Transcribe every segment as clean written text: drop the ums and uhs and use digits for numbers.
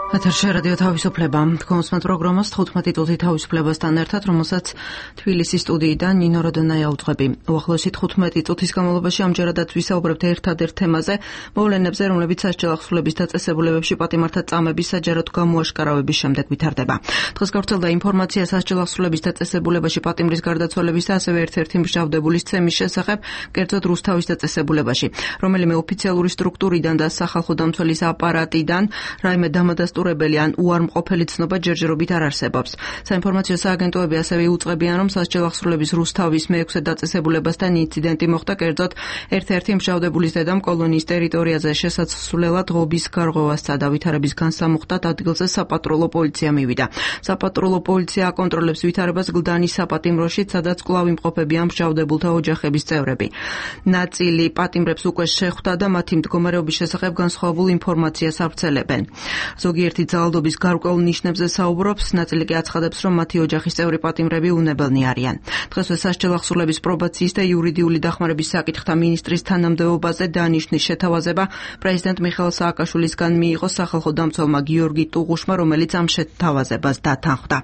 ეთერში რადიო თავისუფლება. გონსმათ პროგრამას 15 წუთი თავისუფლებასთან ერთად, რომელსაც თბილისის სტუდიიდან ნინო როდონაია უძღვები. უახლოესი 15 წუთის განმავლობაში ამჯერადაც ვისაუბრებთ ერთადერთ თემაზე, მოვლენებზე, რომლებიც სასჯელ ახსნილების დაწესებულებებში პატიმართა წამების საჯაროდ გამოაშკარავების შემდეგ ვითარდება. დღეს გავრცელდა ინფორმაცია სასჯელ ახსნილების დაწესებულებაში პატიმრის გარდაცვალების და ასევე ერთ-ერთი მჟავდებულის ცემის შესახებ, კერძოდ რუსთავის დაწესებულებაში, რომელიმე ოფიციალური სტრუქტურიდან და სახალხო დამცველის აპარატიდან რაიმე დამადასტურებელი ან უარმყოფელი ცნობა ჯერჯერობით არ არსებობს. საინფორმაციო სააგენტოები ასევე უწყებიან, რომ სასჯელ ახსნილების რუსთავის მე-6 დაწესებულებასთან ინციდენტი მოხდა, კერძოდ ერთ-ერთი მჟავდებულის დედამ კოლონიის ტერიტორიაზე შესაძლებლად ღობის გარღვევა სცადა. ვითარების განსამუხტად ადგილზე საპატრულო პოლიცია მივიდა. საპატრულო პოლიცია აკონტროლებს ვითარებას გლდანის საპატიმროში, სადაც კვლავ იმყოფებიან მჟავდებულთა ოჯახების წევრები. ნაწილი პატიმრებს უკვე შეხვდა და მათი მდგომარეობის შესახებ განსხვავებულ ინფორმაციას ავრცელებენ. ზოგიერთი ძალადობის გარკვეულ ნიშნებზე საუბრობს, ნაწილი კი აცხადებს, რომ მათი ოჯახის წევრი პატიმრები უნებელნი არიან. დღესვე სასჯელ ახსნილების პრობაციის და იურიდიული დახმარების საკითხთა მინისტრის თანამდებობაზე დანიშნის შეთავაზება პრეზიდენტ მიხეილ სააკაშვილისგან მიიღო სახალხო დამცველმა გიორგი ტუღუშმა, რომელიც ამ შეთავაზებას დათანხმდა.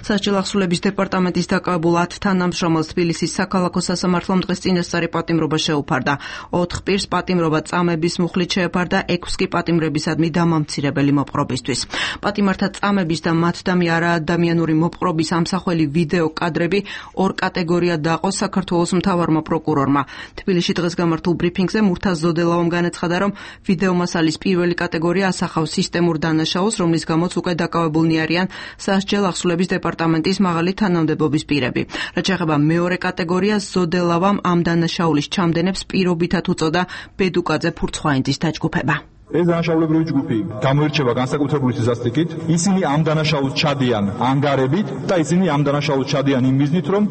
სასჯელ ახსნილების დეპარტამენტის დაკავებულ 10 თანამშრომელს თბილისის საქალაქო სასამართლომ დღეს წინასწარი პატიმრობა შეუფარდა. 4 პირს პატიმრობა წამების მუხლით შეეფარდა, 6 კი პატიმრებისადმი დამამცირებელი მოპყრობისთვის. პატიმართა წამების და მათდამი არაადამიანური მოპყრობის ამსახველი ვიდეო კადრები 2 კატეგორიად დაყო საქართველოს მთავარმა პროკურორმა. თბილისში დღეს გამართულ ბრიფინგზე მურთაზ ზოდელავამ განაცხადა, რომ ვიდეო მასალის პირველი კატეგორია ასახავს სისტემურ დანაშაულს, რომლის გამოც უკვე დაკავებულნი არიან სასჯელ ახსნილების დეპარტამენტის მაღალი თანამდებობის პირები. რაც შეეხება მეორე კატეგორიას, ზოდელავამ ამ დანაშაულის ჩამდენებს პირობითად უწოდა ბედუკაძე ფურცხვაინძის დაჯგუფება. ეს დანაშაულებრივი ჯგუფი გამოირჩევა განსაკუთრებული სიზასტიკით. ისინი ამ დანაშაულს ჩადიან ანგარებით და ისინი ამ დანაშაულს ჩადიან იმ მიზნით, რომ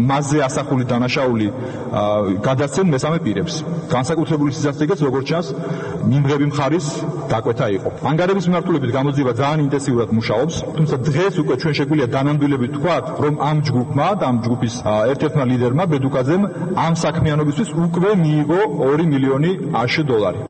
მასზე ასახული დანაშაული გადასცენ მესამე პირებს. განსაკუთრებული სიზასტიკით, როგორც ჩანს, მიმღები მხარის დაკვეთა იყო. ანგარების მიმართულებით გამოძიება ძალიან ინტენსიურად მუშაობს, თუმცა დღეს უკვე ჩვენ შეგვიძლია დანამდვილებით ვთქვათ, რომ ამ ჯგუფმა და ამ ჯგუფის ერთ-ერთმა ლიდერმა ბედუკაძემ ამ საქმიანობისთვის უკვე მიიღო 2 მილიონი $.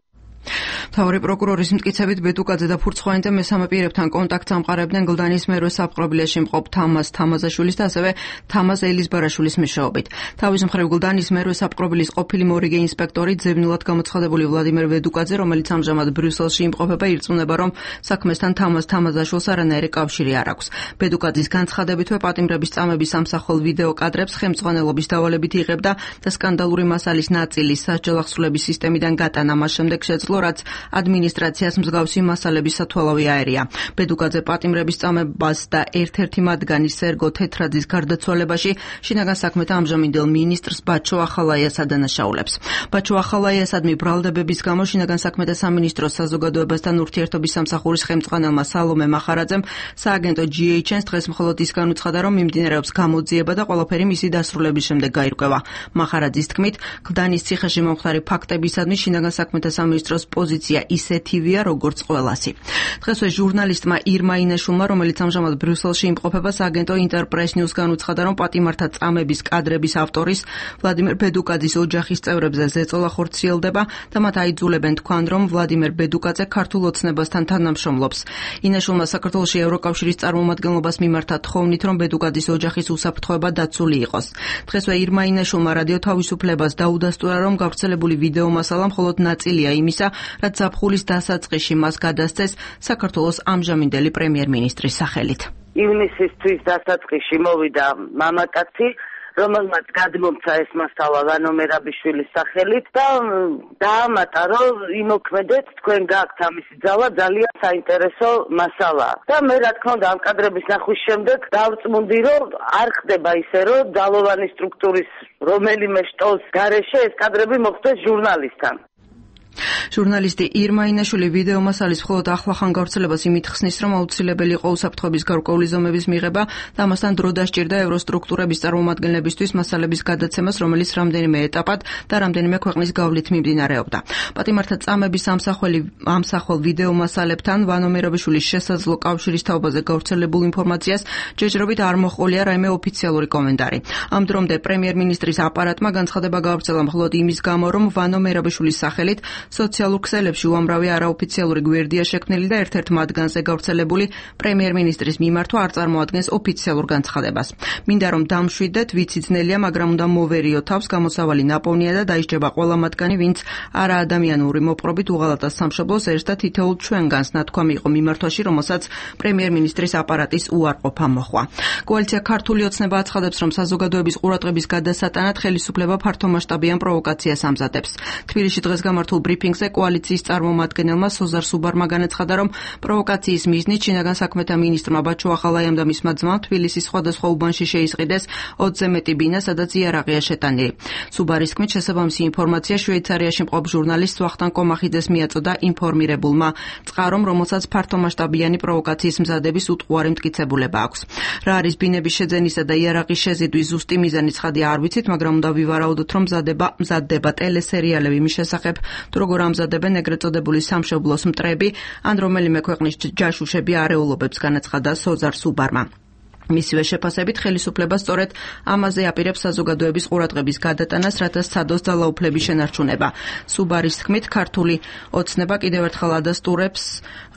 მთავარი პროკურორის მტკიცებით ბედუკაძე და ფურცხვაინძე მესამე პირებთან კონტაქტს ამყარებდნენ გლდანის მერვე საპყრობილეში მყოფ თამაზ თამაზაშვილის და ასევე თამაზ ელიზბარაშვილის მეშვეობით. თავის მხრივ გლდანის მერვე საპყრობილის ყოფილი მორიგე ინსპექტორი ძებნულად გამოცხადებული ვლადიმერ ბედუკაძე, რომელიც ამჟამად ბრიუსელში იმყოფება, ირწმუნება, რომ საქმესთან თამაზ თამაზაშვილს არანაირი კავშირი არ აქვს. ბედუკაძის განცხადებითვე პატიმრების წამების ამსახველ ვიდეო კადრებს ხელმძღვანელობის დავალებით იღებდა და სკანდალური მასალის ნაწილი სასჯელ ახსნილების სისტემიდან გატანა მას შემდეგ შეძლო, რაც ადმინისტრაციას მსგავსი მასალების სათვალავი აერია. ბედუკაძე პატიმრების წამებას და ერთ-ერთი მათგანი სერგო თეთრაძის გარდაცვალებაში შინაგან საქმეთა ამჟამინდელ მინისტრს ბაჩო ახალაიას ადანაშაულებს. ბაჩო ახალაიასადმი ბრალდებების გამო შინაგან საქმეთა სამინისტროს საზოგადოებასთან ურთიერთობის სამსახურის ხელმძღვანელმა სალომე მახარაძემ სააგენტო GHN-ს დღეს მხოლოდ ის განუცხადა, რომ მიმდინარეობს გამოძიება და ყველაფერი მისი დასრულების შემდეგ გაირკვევა. მახარაძის თქმით, გლდანის ციხეში მომხდარი ფაქტებისადმი შინაგან საქმეთა სამინისტროს პოზიცია ისეთივეა, როგორც ყველასი. დღესვე ჟურნალისტმა ირმა ინაშულმა, რომელიც ამჟამად ბრიუსელში იმყოფება, სააგენტო ინტერპრეს ნიუს განუცხადა, რომ პატიმართა წამების კადრების ავტორის ვლადიმერ ბედუკაძის ოჯახის წევრებზე ზეწოლა ხორციელდება და მათ აიძულებენ თქვან, რომ ვლადიმერ ბედუკაძე ქართულ ოცნებასთან თანამშრომლობს. ინაშულმა საქართველოში ევროკავშირის წარმომადგენლობას მიმართა თხოვნით, რომ ბედუკაძის ოჯახის უსაფრთხოება დაცული იყოს. დღესვე ირმა ინაშულმა რადიო თავისუფლებას დაუდასტურა, რომ გავრცელებული ვიდეო მასალა მხოლოდ ნაწილია იმისა, რაც ზაფხულის დასაწყისში მას გადასცეს საქართველოს ამჟამინდელი პრემიერ-მინისტრის სახელით. ივნისისთვის დასაწყისში მოვიდა მამაკაცი, რომელმაც გადმომცა ეს მასალა ვანო მერაბიშვილის სახელით და დაამატა, რომ იმოქმედეთ, თქვენ გააქვთ ამისი ძალა, ძალიან საინტერესო მასალაა. და მე რა თქმა უნდა ამ კადრების ნახვის შემდეგ დავწმუნდი, რომ არ ხდება ისე, რომ ძალოვანი სტრუქტურის რომელიმე შტოს გარეშე ეს კადრები მოხდეს ჟურნალისტთან. ჟურნალისტი ირმა ინაშვილი ვიდეო მასალის მხოლოდ ახლახან გავრცელებას იმით ხსნის, რომ აუცილებელი იყო უსაფრთხოების გარკვეული ზომების მიღება და ამასთან დრო დასჭირდა ევროსტრუქტურების წარმომადგენლებისთვის მასალების გადაცემას, რომელიც რამდენიმე ეტაპად და რამდენიმე ქვეყნის გავლით მიმდინარეობდა. პატიმართა წამების ამსახველ ვიდეო მასალებთან ვანო მერაბიშვილის შესაძლო კავშირის თაობაზე გავრცელებულ ინფორმაციას ჯერჯერობით არ მოჰყოლია რაიმე ოფიციალური კომენტარი. ამ დრომდე პრემიერ-მინისტრის აპარატმა განცხადება გავრცელა მხოლოდ იმის გამო, რომ ვანო მერაბიშვილის სახელით სოციალურ ქსელებში უამრავი არაოფიციალური გვერდია შექმნილი და ერთ-ერთ მათგანზე გავრცელებული პრემიერ-მინისტრის მიმართვა არ წარმოადგენს ოფიციალურ განცხადებას. მინდა რომ დამშვიდეთ, ვიცი ძნელია, მაგრამ უნდა მოვერიო თავს, გამოსავალი ნაპოვნია და დაისჯება ყველა მათგანი, ვინც არაადამიანური მოპყრობით უღალატას სამშობლოს ერს და თითოეულ ჩვენგანს ნათქვამი იყო მიმართვაში, რომელსაც პრემიერ-მინისტრის აპარატის უარყოფა მოჰყვა. კოალიცია ქართული ოცნება აცხადებს, რომ საზოგადოების ყურადღების გადასატანად ხელისუფლება ფართომასშტაბიან პროვოკაციას ამზადებს. თბილისში დღეს გამართულ ბრიფინგზე კოალიციის წარმომადგენელმა სოზარ სუბარმა განაცხადა, რომ პროვოკაციის მიზნით შინაგან საქმეთა მინისტრმა ბაჩო ახალაიამ და მისმა ძმამ თბილისის სხვადასხვა უბანში შეისყიდეს 20-ზე მეტი ბინა, სადაც იარაღია შეტანილი. სუბარის თქმით, შესაბამისი ინფორმაცია შვეიცარიაში მყოფ ჟურნალისტ ვახტანგ კომახიძეს მიაწოდა ინფორმირებულმა წყარომ, რომელსაც ფართომასშტაბიანი პროვოკაციის მზადების უტყუარი მტკიცებულება აქვს. რა არის ბინების შეძენისა და იარაღის შეზიდვის ზუსტი მიზანი ცხადი არ ვიცით, მაგრამ უნდა ვივარაუდოთ, რომ მზადდება ტელესერიალები მის შესახებ, თუ როგორ ამზადებენ ეგრეთ წოდებული სამშობლოს მტრები, ან რომელიმე ქვეყნის ჯაშუშები არეულობებს, განაცხადა სოზარ სუბარმა. მისივე შეფასებით ხელისუფლება სწორედ ამაზე აპირებს საზოგადოების ყურადღების გადატანას, რათა სცადოს ძალაუფლების შენარჩუნება. სუბარის თქმით, ქართული ოცნება კიდევ ერთხელ ადასტურებს,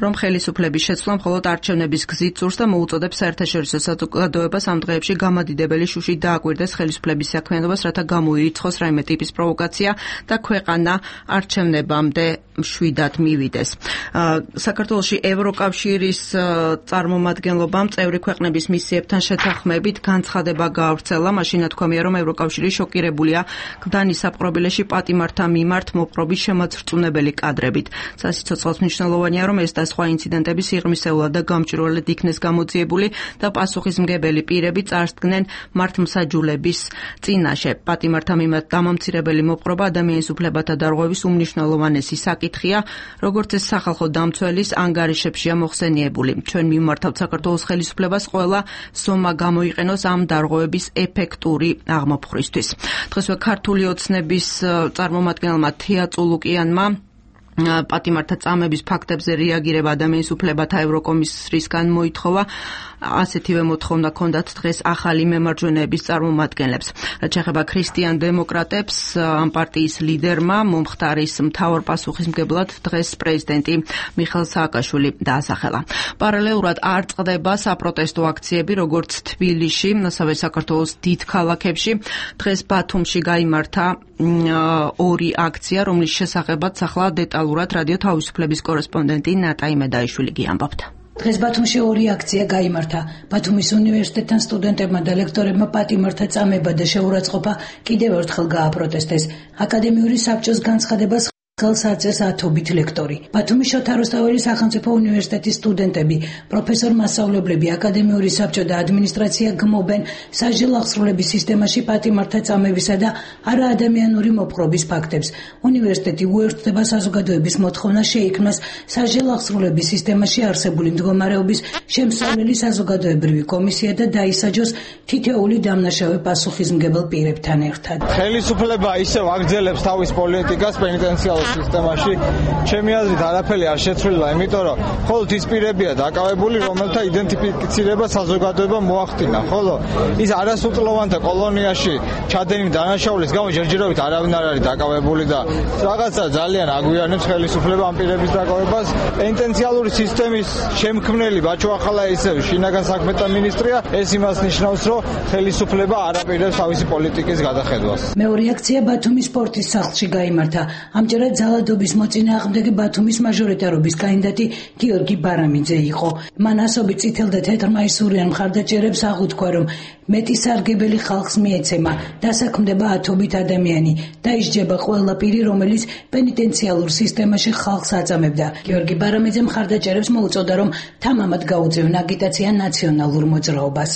რომ ხელისუფლების შეცვლა მხოლოდ არჩევნების გზით სურს და მოუწოდებს საერთაშორისო საზოგადოებას ამ დღეებში გამადიდებელი შუშით დააკვირდეს ხელისუფლების საქმიანობას, რათა გამოირიცხოს რაიმე ტიპის პროვოკაცია და ქვეყანა არჩევნებამდე მშვიდად მივიდეს. საქართველოში ევროკავშირის წარმომადგენლობამ წევრი ქვეყნების მისიებთან შეთანხმებით განცხადება გაავრცელა. მაშინ ნათქვამია, რომ ევროკავშირი შოკირებულია გლდანის საპყრობილეში პატიმართა მიმართ მოპყრობის შემოწრწუნებელი კადრებით. სასიცოცხლოს მნიშვნელოვანია, რომ ეს და სხვა ინციდენტები სიღრმისეულად და გამჭვირვალედ იქნეს გამოძიებული და პასუხისმგებელი პირები წარსდგნენ მართლმსაჯულების წინაშე. პატიმართა მიმართ დამამცირებელი მოპყრობა ადამიანის უფლებათა დარღვევის უმნიშვნელოვანესი საკითხია, როგორც ეს სახალხო დამცველის ანგარიშებშია მოხსენიებული. ჩვენ მიმართავთ საქართველოს ხელისუფლებას ყველა ზომა გამოიყენოს ამ დარღვევების ეფექტური აღმოფხვრისთვის. დღესვე ქართული ოცნების წარმომადგენელმა თია წულუკიანმა პატიმართა წამების ფაქტებზე რეაგირება ადამიანის უფლებათა ევროკომისრისგან მოითხოვა. ასეთივე მოთხოვნა ჰქონდათ დღეს ახალი მემარჯვენეების წარმომადგენლებს. რაც შეეხება ქრისტიან დემოკრატებს, ამ პარტიის ლიდერმა მომხდარის მთავარ პასუხისმგებლად დღეს პრეზიდენტი მიხეილ სააკაშვილი დაასახელა. პარალელურად არ წყდება საპროტესტო აქციები, როგორც თბილისში, ასევე საქართველოს დიდ ქალაქებში. დღეს ბათუმში გაიმართა ორი აქცია, რომლის შესახებაც ახლა დეტალურად რადიო თავისუფლების კორესპონდენტი ნატა იმედაიშვილი გიამბობთ. დღეს ბათუმში ორი აქცია გაიმართა. ბათუმის უნივერსიტეტთან სტუდენტებმა და ლექტორებმა პატიმართა წამება და შეურაცხყოფა კიდევ ერთხელ გააპროტესტეს. აკადემიური საბჭოს განცხადებას ხელს აწერს ათობით ლექტორი. ბათუმის შოთა რუსთაველის სახელმწიფო უნივერსიტეტის სტუდენტები, პროფესორ-მასწავლებლები, აკადემიური საბჭო და ადმინისტრაცია გმობენ სასჯელ აღსრულების სისტემაში პატიმართა წამებისა და არაადამიანური მოპყრობის ფაქტებს. უნივერსიტეტი უერთდება საზოგადოების მოთხოვნას შეიქმნას სასჯელ აღსრულების სისტემაში არსებული მდგომარეობის შემსწავლელი საზოგადოებრივი კომისია და დაისაჯოს თითოეული დამნაშავე პასუხისმგებელ პირებთან ერთად. ხელისუფლება ისევ აგრძელებს თავის პოლიტიკას პენიტენციალურ სისტემაში. ჩემი აზრით არაფერი არ შეცვლილა, იმიტომ რომ მხოლოდ ის პირებია დაკავებული, რომელთა იდენტიფიცირება საზოგადოებამ მოახდინა, ხოლო ის არასრულოვანთა კოლონიაში ჩადენილი დანაშაულის გამო ჯერჯერობით არავინ არ არის დაკავებული და რაღაცა ძალიან აგვიანებს ხელისუფლება ამ პირების დაკავებას. პენიტენციალური სისტემის შემქმნელი ბაჩო ახალაისევი შინაგან საქმეთა მინისტრია. ეს იმას ნიშნავს, რომ ხელისუფლება არ აპირებს თავისი პოლიტიკის გადახედვას. მეორე აქცია ბათუმის სპორტის სახლში გაიმართა. ამჯერად ძალადობის მოწინააღმდეგე ბათუმის მაჟორიტარობის კანდიდატი გიორგი ბარამიძე იყო. მან ასობით წითელ და თეთრ მაისურიან მხარდაჭერებს აღუთქვა, რომ მეტი სარგებელი ხალხს მიეცემა, დასაქმდება ათობით ადამიანი, დაისჯება ყველა პირი, რომელიც პენიტენციალურ სისტემაში ხალხს აწამებდა. გიორგი ბარამიძე მხარდაჭერებს მოუწოდა, რომ თამამად გაუწევენ აგიტაცია ნაციონალურ მოძრაობას.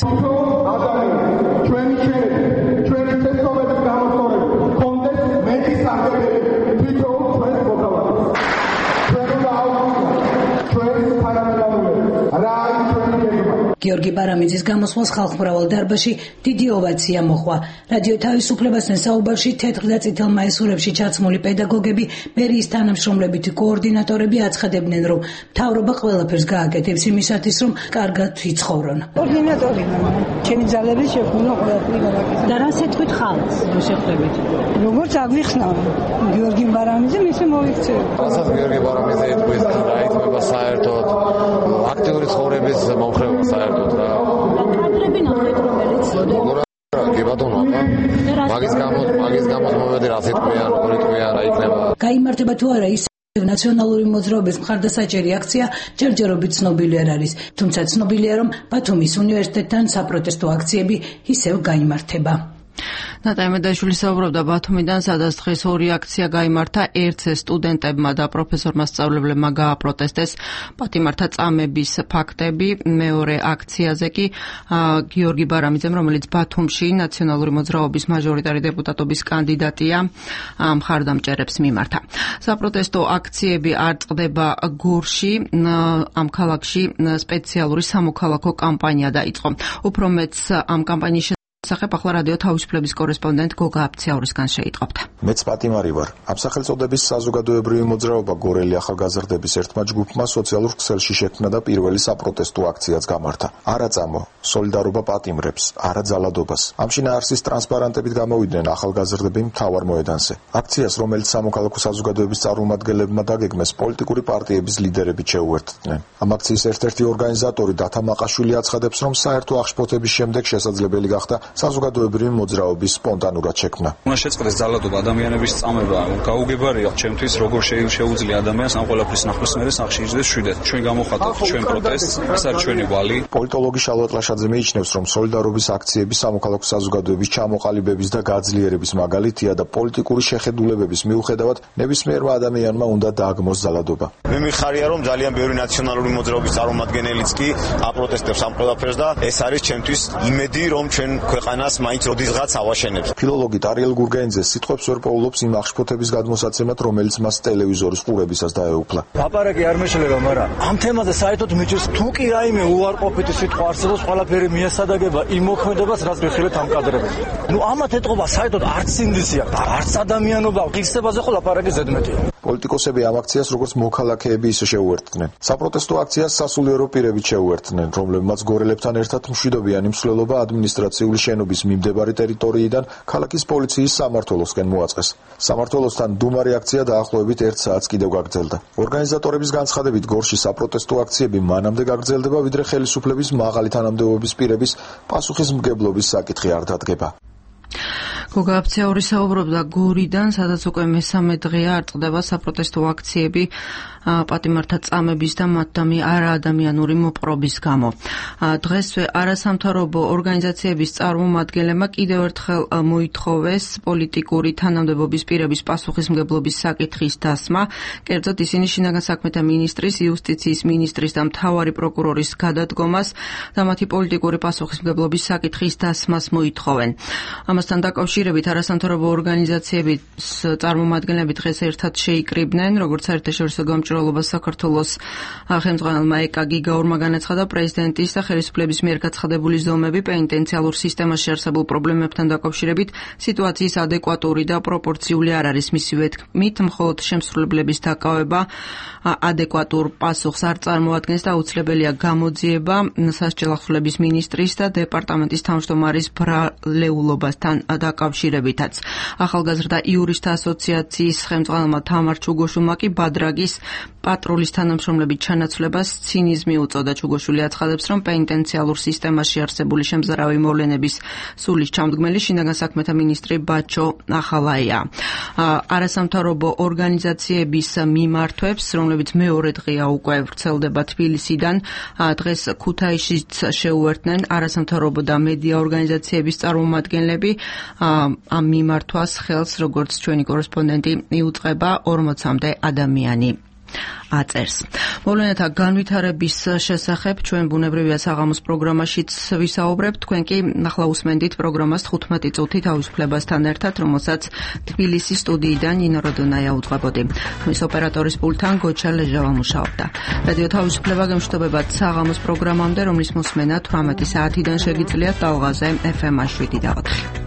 გიორგი ბარამიძის გამოსვლას ხალხმრავალ დარბაზში დიდი ოვაცია მოჰყვა. რადიო თავისუფლებასთან საუბარში თეთრ და წითელ მაისურებში ჩაცმული პედაგოგები, მერიის თანამშრომლებით კოორდინატორები აცხადებდნენ, რომ მთავრობა ყველაფერს გააკეთებს იმისათვის, რომ კარგად ვიცხოვრონ. კოორდინატორი ჩემი ძალების შექმნა ყველაფერი გააკეთა. და რას ეთქვით ხალხს, რომ შეხვდებით? როგორც აგვიხსნა გიორგი ბარამიძე ისე მოიქცევა. რასაც გიორგი ბარამიძე ეთქვის, რა ითქვა საერთოდ აქტიური ცხოვრების მომხრეობა საერთოდ რა. კადრები ნახეთ, რომელიც გებადონა, მაგის გამო მომედი რა ეთქვიან, როგორ ეთქვიან, რა იქნება. გაიმართება თუ არა ის ნაციონალური მოძრაობის მხარდასაჭერი აქცია ჯერჯერობით ცნობილი არ არის, თუმცა ცნობილია, რომ ბათუმის უნივერსიტეტთან საპროტესტო აქციები ისევ გაიმართება. ნატაი მედაიშვილი საუბრობდა ბათუმიდან, სადაც დღეს ორი აქცია გაიმართა. ერთზე სტუდენტებმა და პროფესორმა სწავლებლებმა გააპროტესტეს პატიმართა წამების ფაქტები. მეორე აქციაზე კი გიორგი ბარამიძემ, რომელიც ბათუმში ნაციონალური მოძრაობის მაჟორიტარი დეპუტატობის კანდიდატია, მხარდამჭერებს მიმართა. საპროტესტო აქციები არ წყდება გორში. ამ ქალაქში სპეციალური სამოქალაქო კამპანია დაიწყო. უფრო მეც ამ კამპანიის სახებ ახლა რადიო თავისუფლების კორესპონდენტ გოგა აფციაურისგან შეიტყობთ. მეც პატიმარი ვარ. ამ სახელწოდების საზოგადოებრივი მოძრაობა გორელი ახალგაზრდების ერთმა ჯგუფმა სოციალურ ქსელში შექმნა და პირველი საპროტესტო აქციაც გამართა. არა წამო, სოლიდარობა პატიმრებს, არა ძალადობას. ამ შინაარსის ტრანსპარანტებით გამოვიდნენ ახალგაზრდები მთავარ მოედანზე. აქციას, რომელიც სამოქალაქო საზოგადოების წარმომადგენლებმა დაგეგმეს, პოლიტიკური პარტიების ლიდერებით შეუერთდნენ. ამ აქციის ერთ-ერთი ორგანიზატორი დათა მაყაშვილი აცხადებს, რომ საერთო აღშფოთების შემდეგ შესაძლებელი გახდა საზოგადოებრივი მოძრაობის სპონტანურად შექმნა. უნდა შეწყდეს ძალადობა, ადამიანების წამება, გაუგებარია ჩემთვის, როგორ შეუძლია ადამიანს ამ ყველაფრის ნახვის მერე სახში იჯდეს შვიდეთ. ჩვენ გამოხატავთ ჩვენ პროტესტს, ეს არის ჩვენი ვალი. პოლიტოლოგი შალვა ტლაშაძე მიიჩნევს, რომ სოლიდარობის აქციები სამოქალაქო საზოგადოების ჩამოყალიბების და გაძლიერების მაგალითია და პოლიტიკური შეხედულებების მიუხედავად ნებისმიერმა ადამიანმა უნდა დააგმოს ძალადობა. მე მიხარია, რომ ძალიან ბევრი ნაციონალური მოძრაობის წარმომადგენელიც კი აპროტესტებს ამ ყველაფერს და ეს არის ჩემთვის იმედი, რომ ჩვენ ქვეყანას მაინც როდისღაც ავაშენებს. ფილოლოგი ტარიელ გურგენიძე სიტყვებს ვერ პოულობს იმ აღშფოთების გადმოსაცემად, რომელიც მას ტელევიზორის ყურებისას დაეუფლა. ლაპარაკი არ მეშლება, მაგრამ ამ თემაზე საერთოდ მიჭირს თუ კი რაიმე უარყოფითი სიტყვა არსებობს, ყველაფერი მიესადაგება იმ მოქმედებას, რაც მიხილეთ ამ კადრებში. ამათ ეთყობა საერთოდ არც სინდისი აქვს, არც ადამიანობა, ღირსებაზე ხო ლაპარაკი ზედმეტია. პოლიტიკოსები ამ აქციას როგორც მოქალაქეები ისე შეუერთდნენ. საპროტესტო აქციას სასულიერო პირებით შეუერთდნენ, რომლებმაც გორელებთან ერთად მშვიდობიანი მსვლელობა ადმინისტრაციული შენობის მიმდებარი ტერიტორიიდან ქალაქის პოლიციის სამმართველოსკენ მოაწყეს. სამმართველოსთან დუმარი აქცია დაახლოებით 1 საათს კიდევ გაგრძელდა. ორგანიზატორების განცხადებით, გორში საპროტესტო აქციები მანამდე გაგრძელდება, ვიდრე ხელისუფლების მაღალი თანამდებობის პირების პასუხისმგებლობის საკითხი არ დადგება. გოგა აფციაური საუბრობდა გორიდან, სადაც უკვე მესამე დღეა არ წყდება საპროტესტო აქციები პატიმართა წამების და მათდამი არაადამიანური მოპყრობის გამო. დღესვე არასამთავრობო ორგანიზაციების წარმომადგენლებმა კიდევ ერთხელ მოითხოვეს პოლიტიკური თანამდებობის პირების პასუხისმგებლობის საკითხის დასმა. კერძოდ ისინი შინაგან საქმეთა მინისტრის, იუსტიციის მინისტრის და მთავარი პროკურორის გადადგომას და მათი პოლიტიკური პასუხისმგებლობის საკითხის დასმას მოითხოვენ. ამასთან დაკავშირებით არასამთავრობო ორგანიზაციების წარმომადგენლები დღეს ერთად შეიკრიბნენ, როგორც საერთაშორისო გამჭვირვალობას საქართველოს ხელმძღვანელმა ეკა გიგაურმა განაცხადა, პრეზიდენტის და ხელისუფლების მიერ გაცხადებული ზომები პენიტენციალურ სისტემაში არსებულ პრობლემებთან დაკავშირებით სიტუაციის ადეკვატური და პროპორციული არ არის. მისივე თქმით, მხოლოდ შემსრულებლების დაკავება ადეკვატურ პასუხს არ წარმოადგენს და აუცილებელია გამოძიება სასჯელახსნელების მინისტრის და დეპარტამენტის თავმჯდომარის ბრალეულობასთან დაკავშირებითაც. ახალგაზრდა იურისტთა ასოციაციის ხელმძღვანელმა თამარ ჩუგოშულმა კი ბადრაგის პატრულის თანამშრომლების ჩანაცვლებას ცინიზმი უწოდა. ჩუგოშვილი აცხადებს, რომ პენიტენციალურ სისტემაში არსებული შემზარავი მოვლენების სულის ჩამდგმელი შინაგან საქმეთა მინისტრი ბაჩო ახალაია. არასამთავრობო ორგანიზაციების მიმართვებს, რომლებიც მეორე დღეა უკვე ვრცელდება თბილისიდან, დღეს ქუთაისშიც შეუერთდნენ არასამთავრობო და მედია ორგანიზაციების წარმომადგენლები. ამ მიმართვას ხელს, როგორც ჩვენი კორესპონდენტი იუწყება, 40-მდე ადამიანი აწერს. მოვლენათა განვითარების შესახებ ჩვენ ბუნებრივია საღამოს პროგრამაშიც ვისაუბრებთ. თქვენ კი ახლა უსმენდით პროგრამას 15 წუთი თავისუფლებასთან ერთად, რომელსაც თბილისის სტუდიიდან ნინო როდონაია უძღვებოდი. ხმის ოპერატორის პულტთან გოჩა ლეჟავა მუშაობდა. რადიო თავისუფლება გემშვიდობებათ საღამოს პროგრამამდე, რომლის მოსმენა 18 საათიდან შეგიძლიათ ტალღაზე FM 7 და 4.